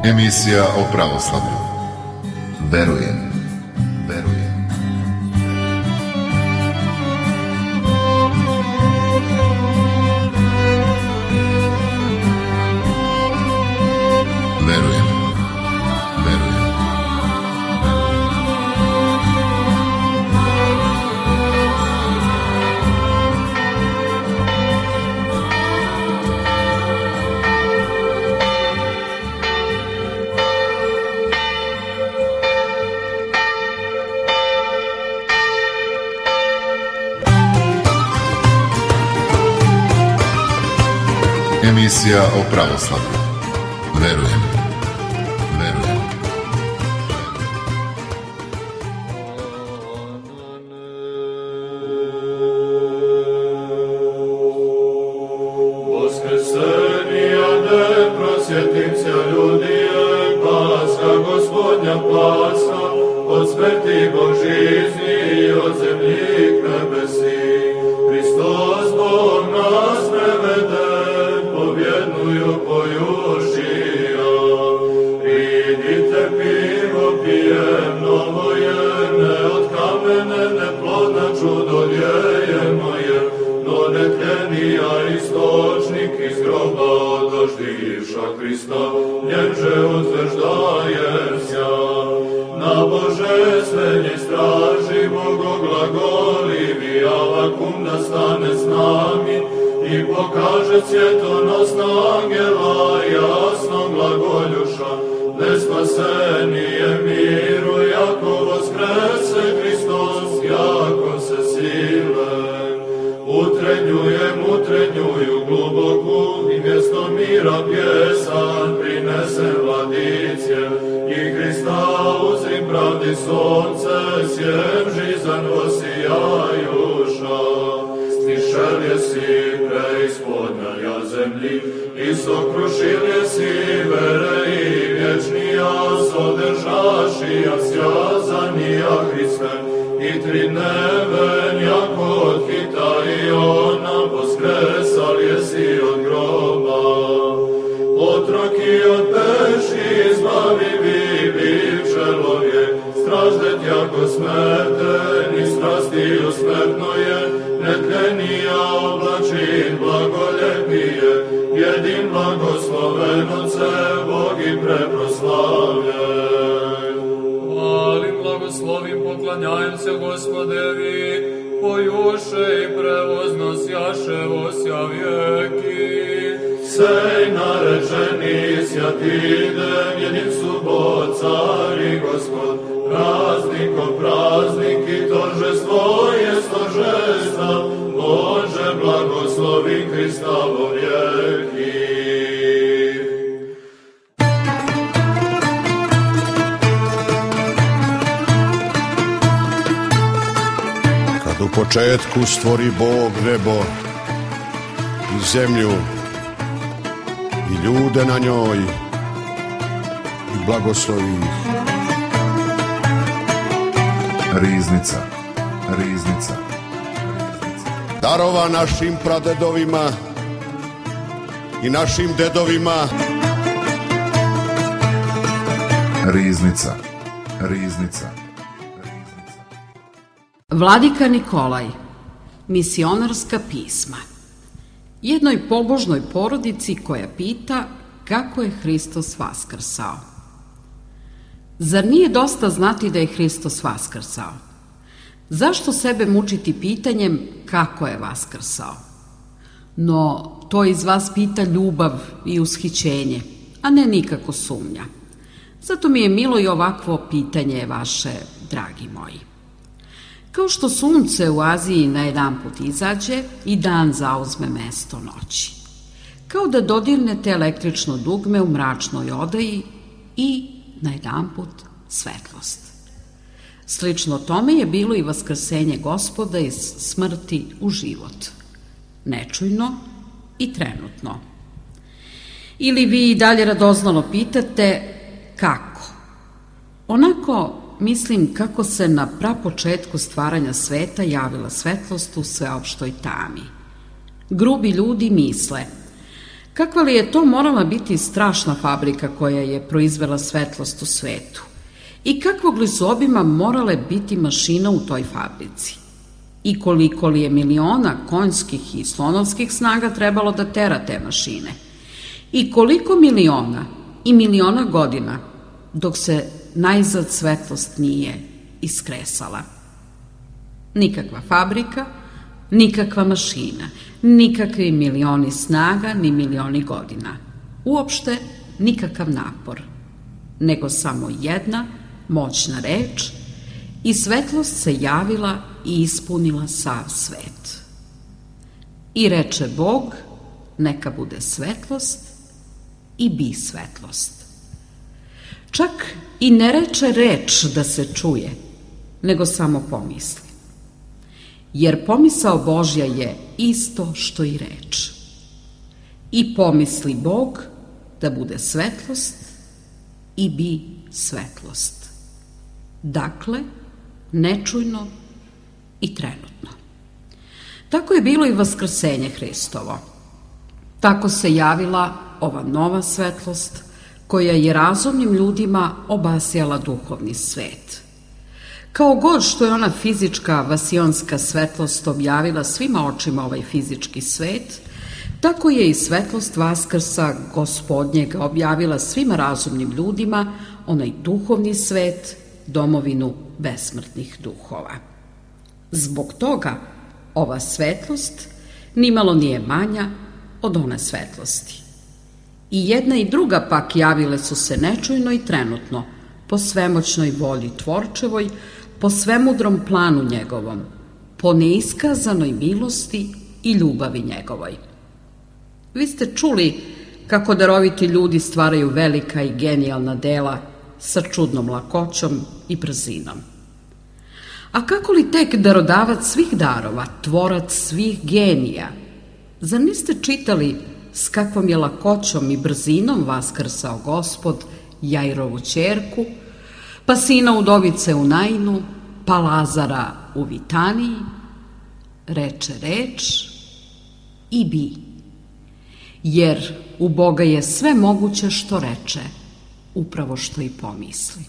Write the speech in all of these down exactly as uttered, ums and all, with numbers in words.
Emisija o pravoslavlju. Verujem, verujem. Verujem, verujem. Emisija o pravoslavlju. Verujem, verujem. Vaskrsenija ne prosjetim se ljudije, Paska Gospodnja Paska, od smrti Bog žizni i od zemlji k nebesi. Hristos Bog nas prevede, pobjednuju pojušija. Pridite pivo pijemno moje, ne od kamene, ne plodna čudo djejemo je, no netkenija istočnik iz groba doživša Krista, nježe utvrđdajem sja. Na božestvenje straži bogoglagolivi, Avakum da stane s nami i pokaže svjetonosna angela, jasno glagoljuša, nespasenije miru, jako voskrese Hristos, jako se sile. Utrenjujem, utrenjuju gluboku i mjesto mira pjesan prinesem vladicije i Hrista uzrim pravdi sonce, sjem žizan osijajuša. Stišel je si preispodnja ja zemlji i sokrušil je si vere i vječnija, sodržašija sjazanija Hriste i tri neven jako od hita i ona voskresal je si od groba. Otroki od peši izbavi vi bivčelovje, straždet jako smrten i strastiju smrtno je, netlenija oblačin blagoljepije, jedin blagosloven Otce, Bog i preproslavljen. Hvalim, blagoslovim, poklanjajem se Gospodevi, pojuše i prevozno sjaše osja vijeki. Sej narečeni sjatidem, jedin subot, car i Gospod, prazniko praznik i tožestvo je stožesta, Bože blagoslovi Hrista vo vijeki. Kad u početku stvori Bog nebo i zemlju i ljude na njoj i blagoslovi ih. Riznica, riznica. Darova našim pradedovima i našim dedovima. Riznica, riznica. Vladika Nikolaj, misionarska pisma. Jednoj pobožnoj porodici koja pita kako je Hristos vaskrsao. Zar nije dosta znati da je Hristos vaskrsao? Zašto sebe mučiti pitanjem kako je vaskrsao? No, to iz vas pita ljubav i ushićenje, a ne nikako sumnja. Zato mi je milo i ovakvo pitanje vaše, dragi moji. Kao što sunce u Aziji na jedan put izađe i dan zauzme mesto noći. Kao da dodirnete električno dugme u mračnoj odaji i na jedan put svetlost. Slično tome je bilo i vaskrsenje Gospoda iz smrti u život. Nečujno i trenutno. Ili vi i dalje radoznalo pitate kako? Onako mislim kako se na prapočetku stvaranja sveta javila svetlost u sveopštoj tami. Grubi ljudi misle Kakva li je to morala biti strašna fabrika koja je proizvela svetlost u svetu? I kakvog li su obima morale biti mašina u toj fabrici? I koliko li je miliona konjskih i slonovskih snaga trebalo da tera te mašine? I koliko miliona i miliona godina dok se najzad svetlost nije iskresala? Nikakva fabrika, nikakva mašina, nikakvi milioni snaga ni milioni godina. Uopšte nikakav napor, nego samo jedna moćna reč i svetlost se javila i ispunila sav svet. I reče Bog, neka bude svetlost i bi svetlost. Čak i ne reče reč da se čuje, nego samo pomisli. Jer pomisao Božja je isto što i reč. I pomisli Bog da bude svetlost i bi svetlost. Dakle, nečujno i trenutno. Tako je bilo i vaskrsenje Hristovo. Tako se javila ova nova svetlost koja je razumnim ljudima obasjala duhovni svet. Kao god što je ona fizička vasionska svetlost objavila svima očima ovaj fizički svet, tako je i svetlost Vaskrsa Gospodnjega objavila svima razumnim ljudima onaj duhovni svet, domovinu besmrtnih duhova. Zbog toga ova svetlost nimalo nije manja od one svetlosti. I jedna i druga pak javile su se nečujno i trenutno, po svemoćnoj volji Tvorčevoj, po svemudrom planu njegovom, po neiskazanoj milosti i ljubavi njegovoj. Vi ste čuli kako daroviti ljudi stvaraju velika i genijalna dela sa čudnom lakoćom i brzinom. A kako li tek darodavac svih darova, tvorac svih genija, zar niste čitali s kakvom je lakoćom i brzinom vaskrsao Gospod Jairovu ćerku, pa sina udovice u Nainu, pa Lazara u Vitaniji? Reče reč i bi. Jer u Boga je sve moguće što reče, upravo što i pomisli.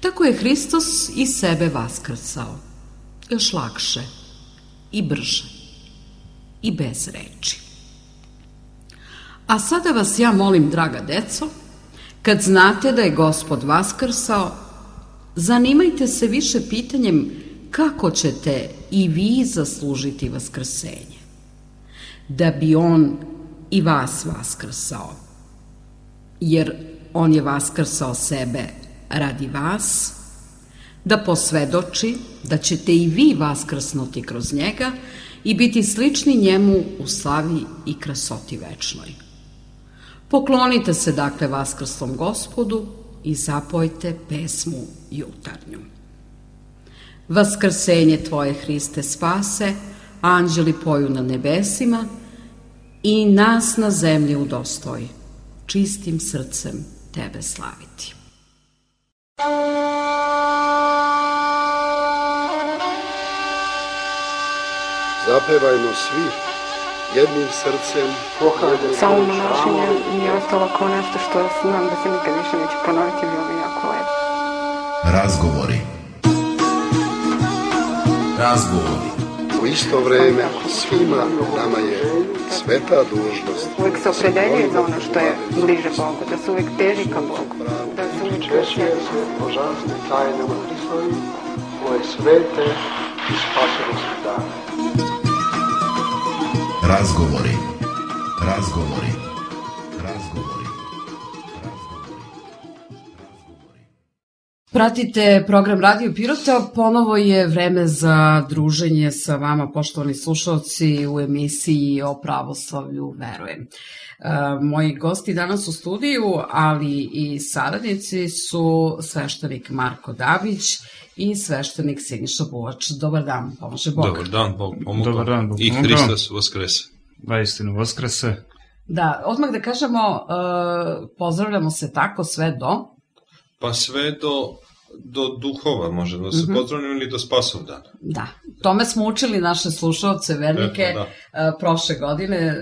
Tako je Hristos i sebe vaskrsao, još lakše i brže i bez reči. A sada vas ja molim, draga deco, kad znate da je Gospod vaskrsao, zanimajte se više pitanjem kako ćete i vi zaslužiti vaskrsenje, da bi On i vas vaskrsao, jer On je vaskrsao sebe radi vas, da posvedoči da ćete i vi vaskrsnuti kroz njega i biti slični njemu u slavi i krasoti večnoj. Poklonite se dakle vaskrslom Gospodu i zapojte pesmu jutarnju. Vaskrsenje Tvoje, Hriste, spase, anđeli poju na nebesima i nas na zemlji udostoj, čistim srcem Tebe slaviti. Zapevajmo svi jednim srcem. Samo monašenje mi je ostalo kao nešto što znam da se nikad više neće ponoviti, bilo mi jako lepo. Razgovori. Razgovori. U isto vreme svima nama je sveta dužnost. Uvijek se opredeljuje za ono što je bliže Bogu, da se uvijek teži ka Bogu, da se uvijek čestvuje se božanstvene tajnama Hristovi, koje svete i spasonosne dane. Razgovori. Razgovori. Razgovori. Pratite program Radio Pirota, ponovo je vreme za druženje sa vama, poštovani slušalci, u emisiji o pravoslavlju verujem. E, moji gosti danas u studiju, ali i saradnici su sveštenik Marko Dabić i sveštenik Siniša Buvač. Dobar dan, pomože Bog. Dobar dan, Bog pomogao. Dobar dan, Bog I pomogao. Hristos vaskrese. Vaistinu vaskrese. Da, odmah da kažemo, e, pozdravljamo se tako sve do... Pa sve do do duhova, može da se mm-hmm. pozdravljamo, ili do Spasovdana. Da, tome smo učili naše slušalce, vernike, eto, da. prošle godine,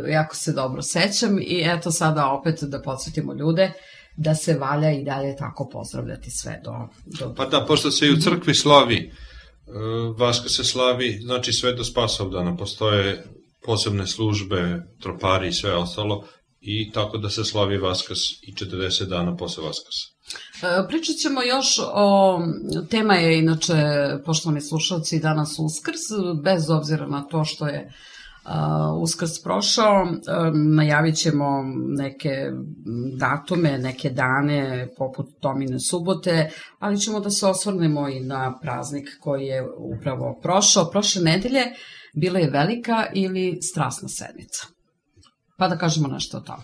jako se dobro sećam i eto sada opet da podsjetimo ljude da se valja i dalje tako pozdravljati sve do... do... Pa da, pošto se i u crkvi slavi, Vaskrs se slavi, znači sve do Spasovdana, postoje posebne službe, tropari i sve ostalo, i tako da se slavi Vaskrs i četrdeset dana posle Vaskrsa. Pričat ćemo još o, tema je inače, poštovani slušalci, danas Uskrs, bez obzira na to što je uh, Uskrs prošao, uh, najavit ćemo neke datume, neke dane poput Tomine subote, ali ćemo da se osvrnemo i na praznik koji je upravo prošao. Prošle nedelje bila je velika ili strasna sedmica. Pa da kažemo nešto o tome.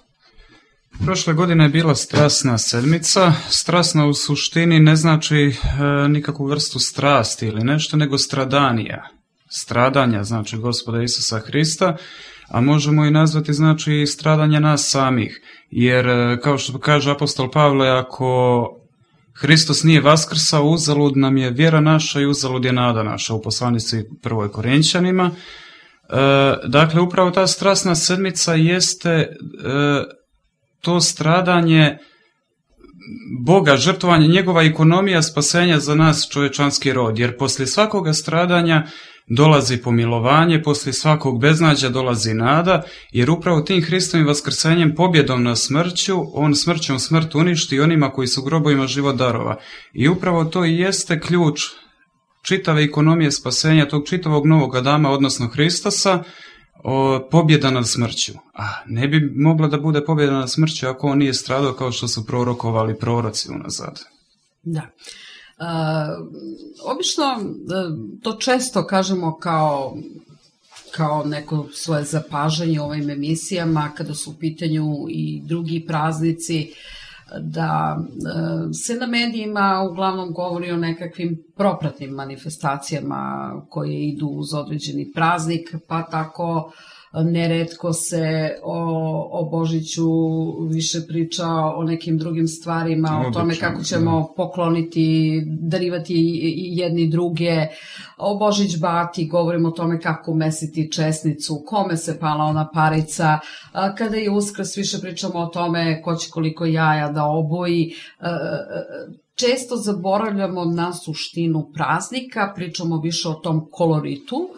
Prošle godine je bila strasna sedmica. Strasna u suštini ne znači e, nikakvu vrstu strasti ili nešto, nego stradanija. Stradanja, znači Gospoda Isusa Hrista, a možemo i nazvati znači stradanja nas samih. Jer, kao što kaže apostol Pavle, ako Hristos nije vaskrsao, uzalud nam je vjera naša i uzalud je nada naša, u poslanici prvoj Korinćanima. E, dakle, upravo ta strasna sedmica jeste e, to stradanje Boga, žrtvovanje, njegova ekonomija spasenja za nas čovječanski rod, jer poslije svakoga stradanja dolazi pomilovanje, poslije svakog beznađa dolazi nada, jer upravo tim Hristovim vaskrsenjem, pobjedom na smrću, on smrćom smrt uništi onima koji su grobovima život darova. I upravo to i jeste ključ čitave ekonomije spasenja, tog čitavog novog Adama, odnosno Hristosa, o, pobjeda nad smrću. A ne bi mogla da bude pobjeda nad smrću ako on nije stradao kao što su prorokovali proroci unazad. Da. Uh, obično to često kažemo kao, kao neko svoje zapažanje u ovim emisijama kada su u pitanju i drugi praznici, da uh, se na medijima uglavnom govori o nekakvim propratnim manifestacijama koje idu uz određeni praznik, pa tako neretko se o, o Božiću više priča o nekim drugim stvarima, o tome kako ćemo pokloniti, darivati jedni druge, o Božić bati, govorimo o tome kako mesiti česnicu, kome se pala ona parica, kada je Uskrs više pričamo o tome ko će koliko jaja da oboji. Često zaboravljamo na suštinu praznika, pričamo više o tom koloritu,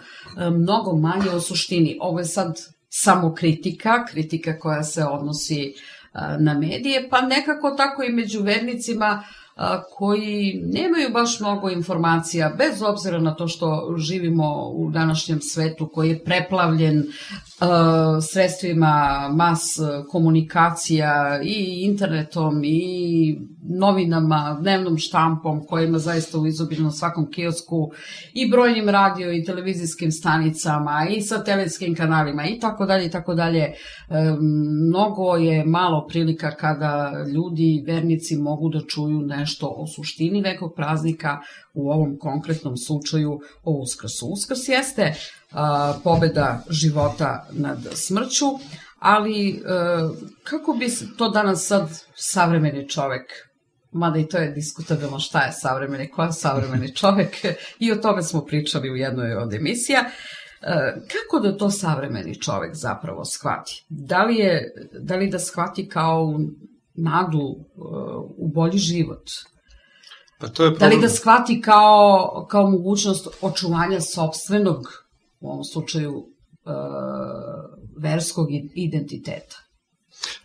mnogo manje o suštini. Ovo je sad samo kritika, kritika koja se odnosi na medije, pa nekako tako i među vernicima koji nemaju baš mnogo informacija, bez obzira na to što živimo u današnjem svetu koji je preplavljen uh, sredstvima mas komunikacija i internetom i novinama, dnevnom štampom koja ima zaista u izobilju na svakom kiosku i brojnim radio i televizijskim stanicama i satelitskim kanalima i tako dalje i tako dalje. Mnogo je malo prilika kada ljudi, vernici mogu da čuju nešto o suštini nekog praznika, u ovom konkretnom slučaju o Uskrsu. Uskrs jeste a, pobeda života nad smrću, ali a, kako bi to danas sad savremeni čovek, mada i to je diskutabilno šta je savremeni, ko je savremeni čovek, i o tome smo pričali u jednoj od emisija, kako da to savremeni čovek zapravo shvati? Da li, je, da li da shvati kao nadu u bolji život? Pa to je problem. Da li da shvati kao, kao mogućnost očuvanja sopstvenog, u ovom slučaju, uh, verskog identiteta?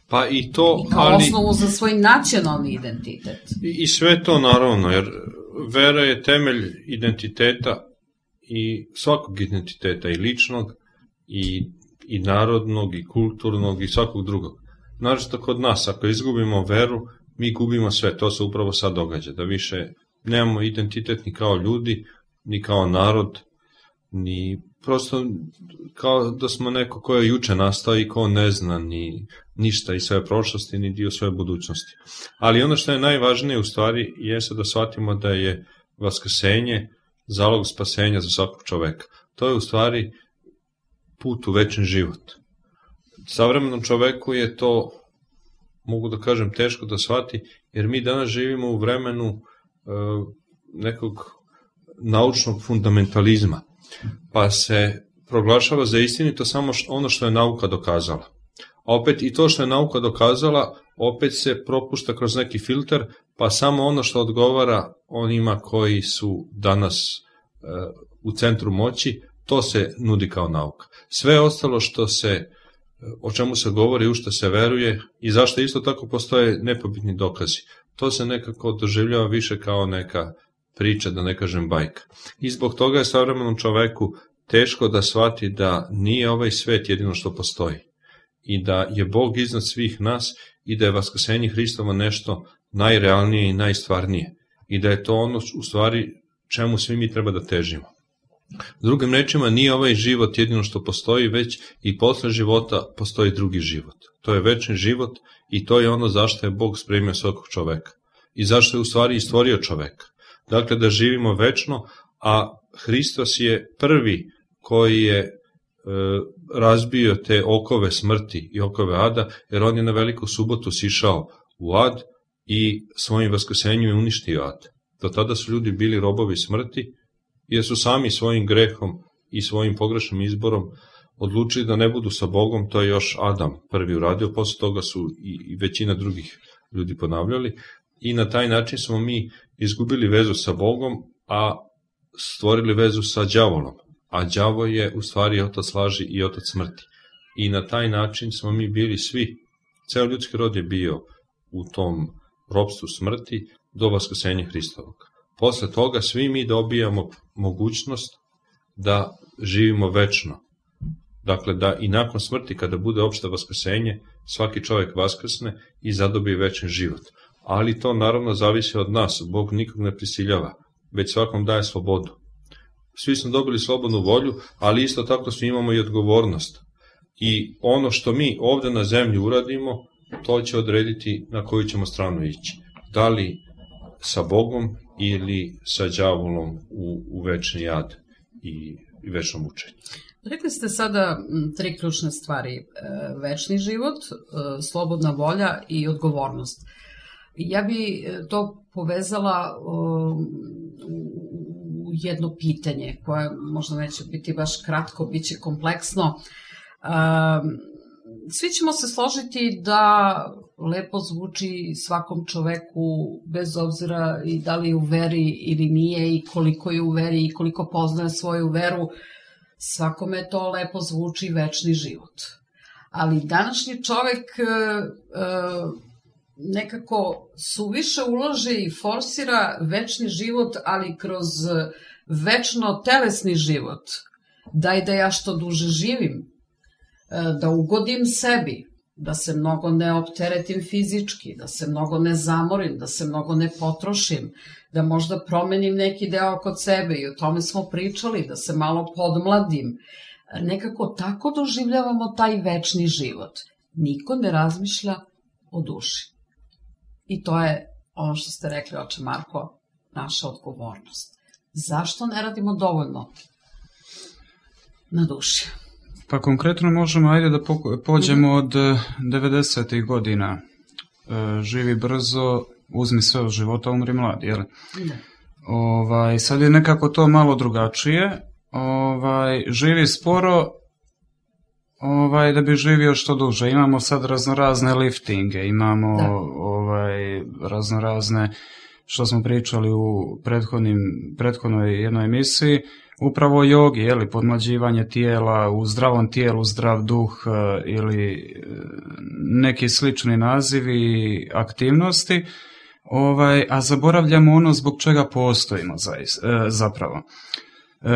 Pa i to, I kao ali... osnovu za svoj nacionalni identitet. I, I sve to naravno, jer vera je temelj identiteta i svakog identiteta, i ličnog, i, i narodnog, i kulturnog, i svakog drugog. Naravno kod nas, ako izgubimo veru, mi gubimo sve, to se upravo sad događa, da više nemamo identitet ni kao ljudi, ni kao narod, ni prosto kao da smo neko ko je juče nastao i ko ne zna ni ništa iz svoje prošlosti, ni dio svoje budućnosti. Ali ono što je najvažnije u stvari jeste da shvatimo da je vaskrsenje zalog spasenja za svakog čoveka. To je u stvari put u večni život. Savremenom čoveku je to, mogu da kažem, teško da shvati, jer mi danas živimo u vremenu nekog naučnog fundamentalizma, pa se proglašava za istinito samo ono što je nauka dokazala. A opet i to što je nauka dokazala, opet se propušta kroz neki filter, pa samo ono što odgovara onima koji su danas e, u centru moći, to se nudi kao nauka. Sve ostalo što se, o čemu se govori, u što se veruje i zašto isto tako postoje nepobitni dokazi, to se nekako doživljava više kao neka priča, da ne kažem bajka. I zbog toga je savremenom čoveku teško da shvati da nije ovaj svet jedino što postoji i da je Bog iznad svih nas i da je vaskrsenje Hristovo nešto najrealnije i najstvarnije i da je to ono u stvari čemu svi mi treba da težimo. Drugim rečima, nije ovaj život jedino što postoji, već i posle života postoji drugi život. To je večni život i to je ono zašto je Bog spremio svakog čoveka i zašto je u stvari i stvorio čoveka. Dakle, da živimo večno, a Hristos je prvi koji je e, razbio te okove smrti i okove ada, jer on je na veliku subotu sišao u ad i svojim vaskrsenjem je uništio ad. Do tada su ljudi bili robovi smrti, jer su sami svojim grehom i svojim pogrešnim izborom odlučili da ne budu sa Bogom, to je još Adam prvi uradio, posle toga su i većina drugih ljudi ponavljali i na taj način smo mi izgubili vezu sa Bogom, a stvorili vezu sa đavolom, a đavo je u stvari otac laži i otac smrti. I na taj način smo mi bili svi, ceo ljudski rod je bio u tom ropstvu smrti do vaskrsenja Hristovog. Posle toga svi mi dobijamo mogućnost da živimo večno. Dakle, da i nakon smrti, kada bude opšte vaskrsenje, svaki čovjek vaskrsne i zadobije večni život. Ali to naravno zavisi od nas, Bog nikog ne prisiljava, već svakom daje slobodu. Svi smo dobili slobodnu volju, ali isto tako svi imamo i odgovornost. I ono što mi ovde na zemlji uradimo, to će odrediti na koju ćemo stranu ići. Da li sa Bogom ili sa đavolom u, u večni jad i, i večno mučenje. Rekli ste sada tri ključne stvari. Večni život, slobodna volja i odgovornost. Ja bi to povezala u jedno pitanje koje možda neće biti baš kratko, bit će kompleksno. Svi ćemo se složiti da lepo zvuči svakom čoveku, bez obzira i da li je u veri ili nije i koliko je u veri i koliko poznaje svoju veru, svakome to lepo zvuči večni život. Ali današnji čovek nekako suviše ulaže i forsira večni život, ali kroz večno telesni život. Daj da ja što duže živim, da ugodim sebi, da se mnogo ne opteretim fizički, da se mnogo ne zamorim, da se mnogo ne potrošim, da možda promenim neki deo kod sebe i o tome smo pričali, da se malo podmladim. Nekako tako doživljavamo taj večni život. Niko ne razmišlja o duši. I to je ono što ste rekli, oče Marko, naša odgovornost. Zašto ne radimo dovoljno na duši? Pa konkretno možemo, ajde da pođemo od devedesetih godina. Živi brzo, uzmi sve od života, umri mlad, jel? Ovaj, sad je nekako to malo drugačije. Ovaj, živi sporo, ovaj, da bi živio što duže. Imamo sad raznorazne liftinge, imamo ovaj, raznorazne, što smo pričali u prethodnim, prethodnoj jednoj emisiji, upravo jogi, jeli, podmlađivanje tijela, u zdravom tijelu zdrav duh ili neki slični nazivi i aktivnosti, ovaj, a zaboravljamo ono zbog čega postojimo zapravo.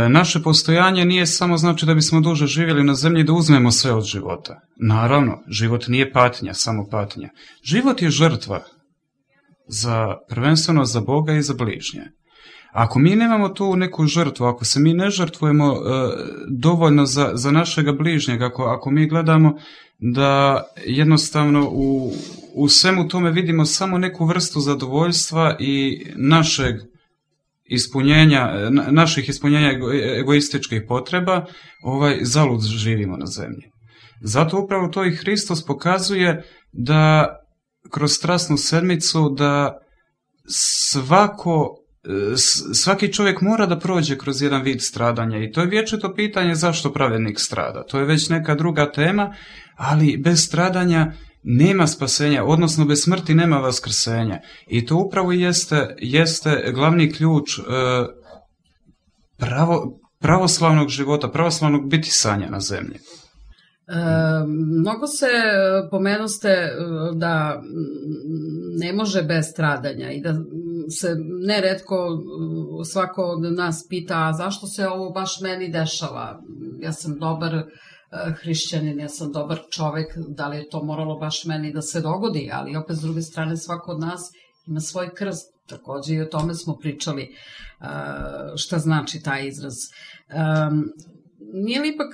Naše postojanje nije samo znači da bismo duže živjeli na zemlji da uzmemo sve od života. Naravno, život nije patnja, samo patnja. Život je žrtva, za, prvenstveno za Boga i za bližnje. Ako mi nemamo tu neku žrtvu, ako se mi ne žrtvujemo e, dovoljno za, za našega bližnjega, ako, ako mi gledamo da jednostavno u, u svemu tome vidimo samo neku vrstu zadovoljstva i našeg ispunjenja, naših ispunjenja ego, egoističkih potreba, ovaj, zalud živimo na zemlji. Zato upravo to i Hristos pokazuje da kroz strasnu sedmicu da svako svaki čovjek mora da prođe kroz jedan vid stradanja i to je vječito pitanje zašto pravednik strada. To je već neka druga tema, ali bez stradanja nema spasenja, odnosno bez smrti nema vaskrsenja. I to upravo jeste, jeste glavni ključ e, pravo, pravoslavnog života, pravoslavnog bitisanja na zemlji. E, mnogo se pomenuste da ne može bez stradanja i da se neretko svako od nas pita a zašto se ovo baš meni dešava. Ja sam dobar hrišćanin, ja sam dobar čovek, da li je to moralo baš meni da se dogodi, ali opet s druge strane svako od nas ima svoj krst. Takođe i o tome smo pričali šta znači taj izraz. Nije li ipak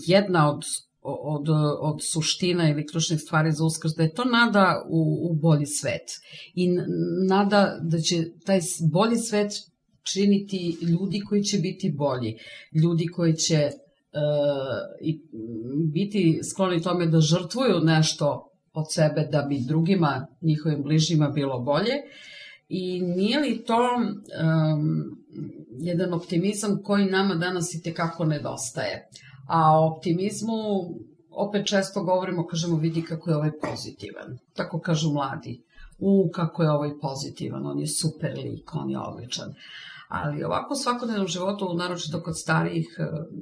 jedna od Od, od suština ili ključnih stvari za Uskrs, da je to nada u, u bolji svet i nada da će taj bolji svet činiti ljudi koji će biti bolji, ljudi koji će uh, i biti skloni tome da žrtvuju nešto od sebe da bi drugima, njihovim bližnjima bilo bolje. I nije li to um, jedan optimizam koji nama danas i tekako nedostaje? A o optimizmu opet često govorimo, kažemo vidi kako je ovaj pozitivan. Tako kažu mladi. U, kako je ovaj pozitivan, on je super lik, on je odličan. Ali ovako u svakodnevnom životu, naročito kod starijih,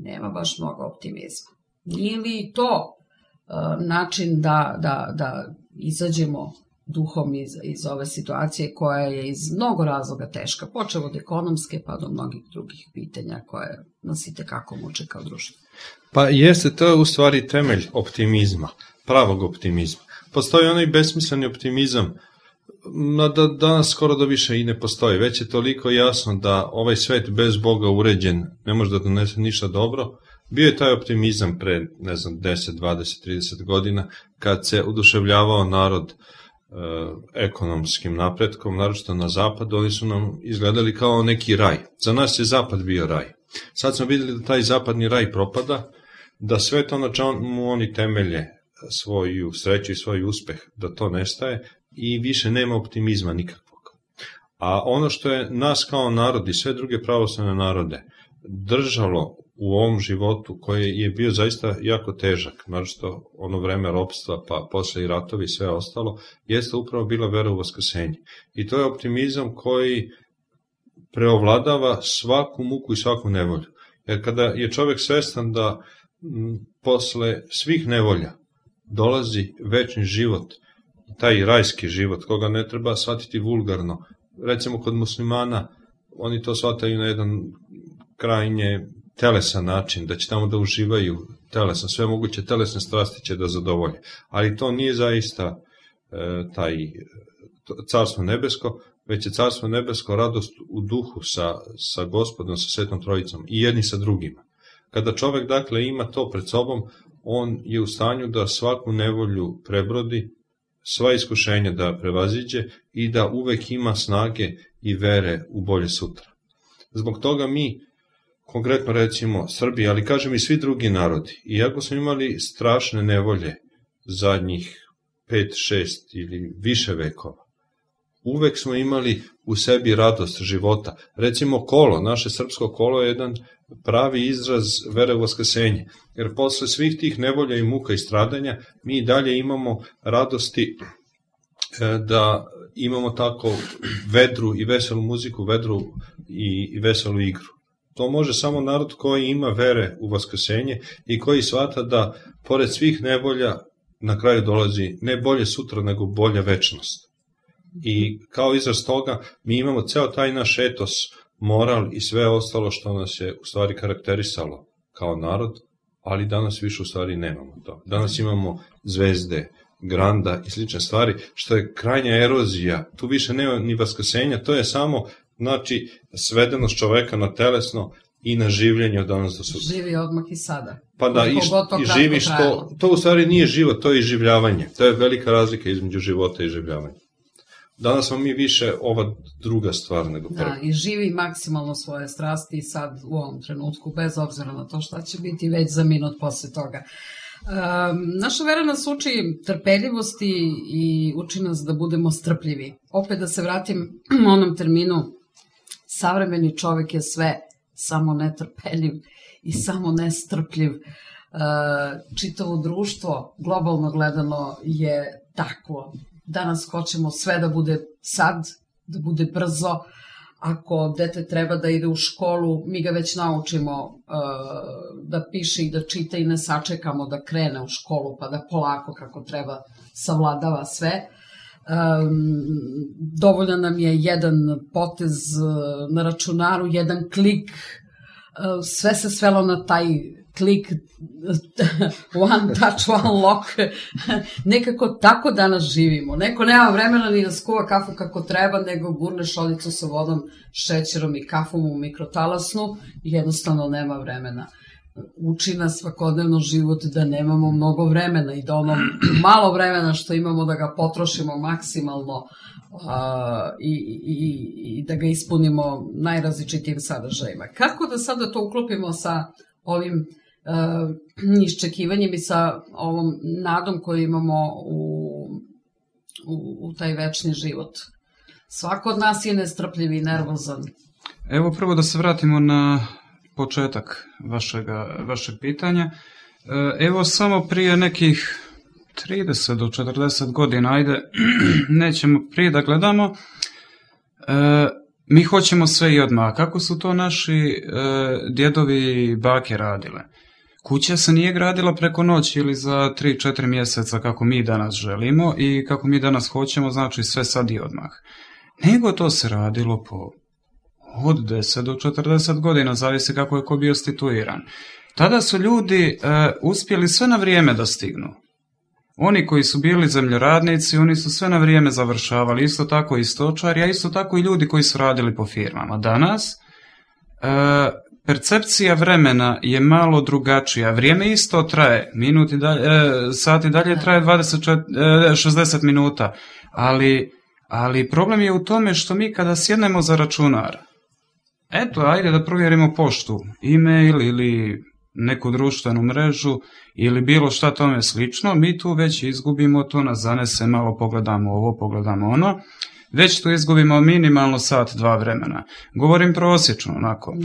nema baš mnogo optimizma. Nije li to uh, način da, da, da izađemo duhom iz, iz ove situacije koja je iz mnogo razloga teška, počev od ekonomske pa do mnogih drugih pitanja koje nas i tekako muče kao društvo. Pa jeste, to je u stvari temelj optimizma, pravog optimizma. Postoji onaj besmisleni optimizam, da danas skoro da više i ne postoji. Već je toliko jasno da ovaj svet bez Boga uređen ne može da donese ništa dobro. Bio je taj optimizam pre, ne znam, deset, dvadeset, trideset godina, kad se oduševljavao narod ekonomskim napretkom, naročito na zapadu, oni su nam izgledali kao neki raj. Za nas je zapad bio raj. Sad smo videli da taj zapadni raj propada, da sve to na čemu oni temelje svoju sreću i svoj uspeh, da to nestaje i više nema optimizma nikakvog. A ono što je nas kao narod i sve druge pravoslavne narode držalo u ovom životu koji je bio zaista jako težak, naročito ono vreme ropstva, pa posle i ratovi i sve ostalo, jeste upravo bila vera u vaskrsenje. I to je optimizam koji preovladava svaku muku i svaku nevolju. Jer kada je čovek svestan da m, posle svih nevolja dolazi večni život, taj rajski život, koga ne treba shvatiti vulgarno. Recimo kod muslimana, oni to shvataju na jedan krajnje telesan način, da će tamo da uživaju telesan, sve moguće telesne strasti će da zadovolje. Ali to nije zaista e, taj carstvo nebesko, već je carstvo nebesko radost u duhu sa, sa Gospodom, sa Svetom Trojicom i jedni sa drugima. Kada čovek dakle ima to pred sobom, on je u stanju da svaku nevolju prebrodi, sva iskušenja da prevaziđe i da uvek ima snage i vere u bolje sutra. Zbog toga mi, konkretno recimo Srbi, ali kažem i svi drugi narodi, iako smo imali strašne nevolje zadnjih pet, šest ili više vekova, uvek smo imali u sebi radost života. Recimo kolo, naše srpsko kolo je jedan pravi izraz vere u vaskrsenje, jer posle svih tih nevolja i muka i stradanja mi dalje imamo radosti da imamo tako vedru i veselu muziku, vedru i veselu igru. To može samo narod koji ima vere u vaskrsenje i koji shvata da pored svih nevolja na kraju dolazi ne bolje sutra nego bolja večnost. I kao izraz toga mi imamo ceo taj naš etos, moral i sve ostalo što nas je u stvari karakterisalo kao narod, ali danas više u stvari nemamo to. Danas imamo zvezde, granda i slične stvari, što je krajnja erozija. Tu više nema ni vaskrsenja, to je samo znači svedenost čoveka na telesno i na življenje od danas do sutra. Živi odmah i sada. Pa da, i, i živiš to, to u stvari nije život, to je iživljavanje. To je velika razlika između života i iživljavanja. Danas smo mi više ova druga stvar nego prva. Da, i živi maksimalno svoje strasti sad u ovom trenutku, bez obzira na to šta će biti već za minut posle toga. Um, naša vera nas uči trpeljivosti i uči nas da budemo strpljivi. Opet da se vratim onom terminu savremeni čovjek je sve samo netrpeljiv i samo nestrpljiv. Čitavo društvo, globalno gledano, je takvo. Danas hoćemo sve da bude sad, da bude brzo. Ako dete treba da ide u školu, mi ga već naučimo uh, da piše i da čita i ne sačekamo da krene u školu, pa da polako kako treba savladava sve. Um, dovoljan nam je jedan potez uh, na računaru, jedan klik, uh, sve se svelo na taj klik, one touch, one lock. Nekako tako danas živimo. Neko nema vremena ni da skuva kafu kako treba, nego gurne šoljicu sa vodom, šećerom i kafom u mikrotalasnu i jednostavno nema vremena. Uči nas svakodnevno život da nemamo mnogo vremena i da ono malo vremena što imamo da ga potrošimo maksimalno uh, i, i, i da ga ispunimo najrazličitijim sadržajima. Kako da sada to uklopimo sa ovim uh, iščekivanjem i sa ovom nadom koju imamo u, u, u taj večni život? Svako od nas je nestrpljiv i nervozan. Evo prvo da se vratimo na početak vašega, vašeg pitanja. Evo samo prije nekih trideset do četrdeset godina, ajde, nećemo prije da gledamo, e, mi hoćemo sve i odmah. Kako su to naši e, djedovi i bake radile? Kuća se nije gradila preko noći ili za tri četiri mjeseca kako mi danas želimo i kako mi danas hoćemo, znači sve sad i odmah. Nego to se radilo po od deset do četrdeset godina, zavisi kako je ko bio situiran. Tada su ljudi e, uspjeli sve na vrijeme da stignu. Oni koji su bili zemljoradnici, oni su sve na vrijeme završavali, isto tako i stočari, a isto tako i ljudi koji su radili po firmama. Danas e, percepcija vremena je malo drugačija. Vrijeme isto traje, minuti dalje, e, sati dalje traje dvadeset, šezdeset minuta, ali, ali problem je u tome što mi kada sjednemo za računar, eto, ajde da provjerimo poštu, e-mail ili neku društvenu mrežu ili bilo šta tome slično, mi tu već izgubimo, to nas zanese, malo pogledamo ovo, pogledamo ono, već tu izgubimo minimalno sat, dva vremena. Govorim prosječno, onako.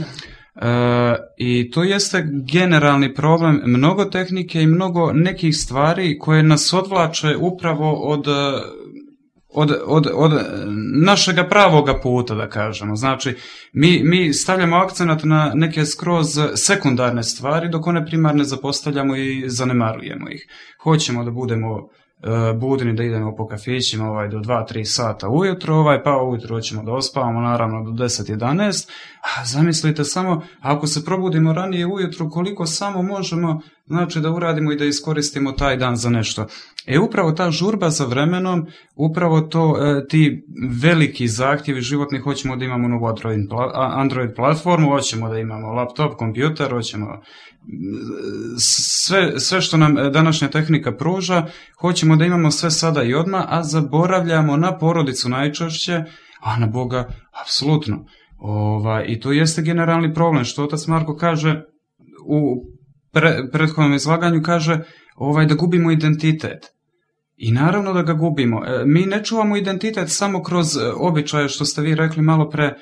E, I to jeste generalni problem mnogo tehnike i mnogo nekih stvari koje nas odvlače upravo od... Od, od, od našega pravoga puta, da kažemo. Znači, mi, mi stavljamo akcenat na neke skroz sekundarne stvari, dok one primarne zapostavljamo i zanemarujemo ih. Hoćemo da budemo uh, budni, da idemo po kafićima ovaj, do dva tri sata ujutro, ovaj, pa ujutro ćemo da ospavamo naravno do deset jedanaest, a zamislite samo, ako se probudimo ranije ujutro, koliko samo možemo, znači da uradimo i da iskoristimo taj dan za nešto. E upravo ta žurba za vremenom, upravo to, e, ti veliki zahtjevi životni, hoćemo da imamo novu Android, Android platformu, hoćemo da imamo laptop, kompjuter, hoćemo sve, sve što nam današnja tehnika pruža, hoćemo da imamo sve sada i odmah, a zaboravljamo na porodicu najčešće, a na Boga apsolutno. Ova, I to jeste generalni problem, što otac Marko kaže u pre, prethodnom izlaganju, kaže ovaj, da gubimo identitet. I naravno da ga gubimo. E, mi ne čuvamo identitet samo kroz običaje, što ste vi rekli malo pre, e,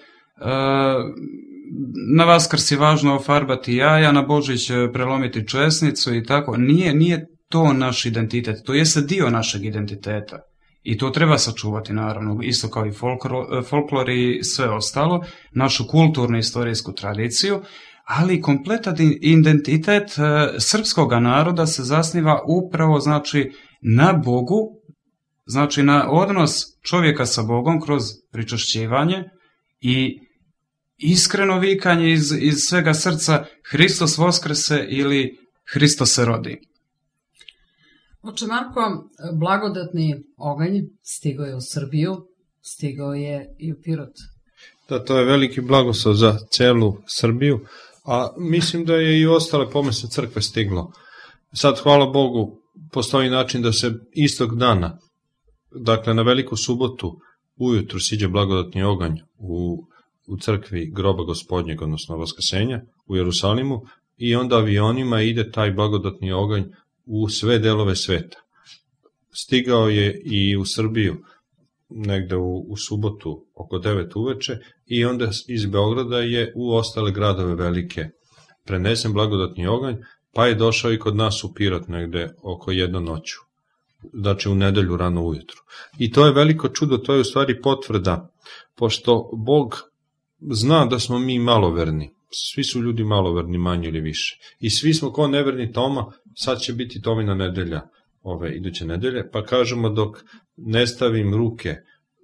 na Vaskrs je važno ofarbati jaja, na Božić prelomiti česnicu i tako. Nije, nije to naš identitet, to jeste dio našeg identiteta. I to treba sačuvati, naravno, isto kao i folklor, folklor i sve ostalo, našu kulturnu i istorijsku tradiciju, ali kompletan identitet e, srpskog naroda se zasniva upravo, znači, na Bogu, znači na odnos čovjeka sa Bogom kroz pričašćivanje i iskreno vikanje iz, iz svega srca Hristos voskrese ili Hristos se rodi. Oče Marko, blagodatni oganj stigao je u Srbiju, stigao je i u Pirot. Da, to je veliki blagoslov za celu Srbiju, a mislim da je i ostale pomese crkve stiglo. Sad, hvala Bogu, postoji način da se istog dana, dakle na veliku subotu, ujutru siđe blagodatni oganj u, u crkvi groba gospodnjeg, odnosno Vaskrsenja u Jerusalimu, i onda avionima ide taj blagodatni oganj u sve delove sveta. Stigao je i u Srbiju negde u, u subotu oko oko devet uveče i onda iz Beograda je u ostale gradove velike prenesen blagodatni oganj, pa je došao i kod nas u Pirot negde oko jedno noću, znači u nedelju rano ujutru. I to je veliko čudo, to je u stvari potvrda, pošto Bog zna da smo mi maloverni, svi su ljudi maloverni manje ili više, i svi smo ko neverni Toma, sad će biti Tomina nedelja, ove iduće nedelje, pa kažemo dok ne stavim ruke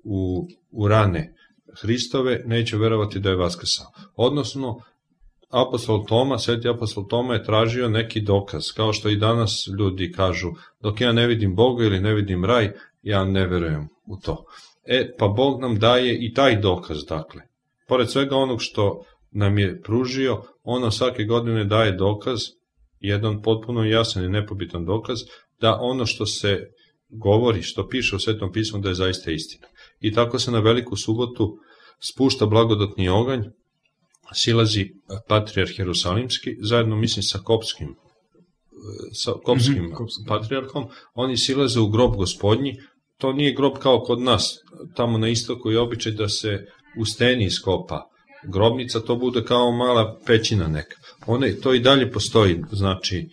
u, u rane Hristove, neću verovati da je vaskrsao. Odnosno, apostol Toma, sveti apostol Toma je tražio neki dokaz, kao što i danas ljudi kažu, dok ja ne vidim Boga ili ne vidim raj, ja ne verujem u to. E, pa Bog nam daje i taj dokaz, dakle. Pored svega onog što nam je pružio, ono svake godine daje dokaz, jedan potpuno jasan i nepobitan dokaz, da ono što se govori, što piše u Svetom pismu, da je zaista istina. I tako se na Veliku subotu spušta blagodatni oganj, silazi patrijarh Jerusalimski, zajedno mislim sa kopskim, sa kopskim mm-hmm. patrijarhom, oni silaze u grob Gospodnji. To nije grob kao kod nas, tamo na istoku je običaj da se u steni iskopa grobnica, to bude kao mala pećina neka. One, to i dalje postoji, znači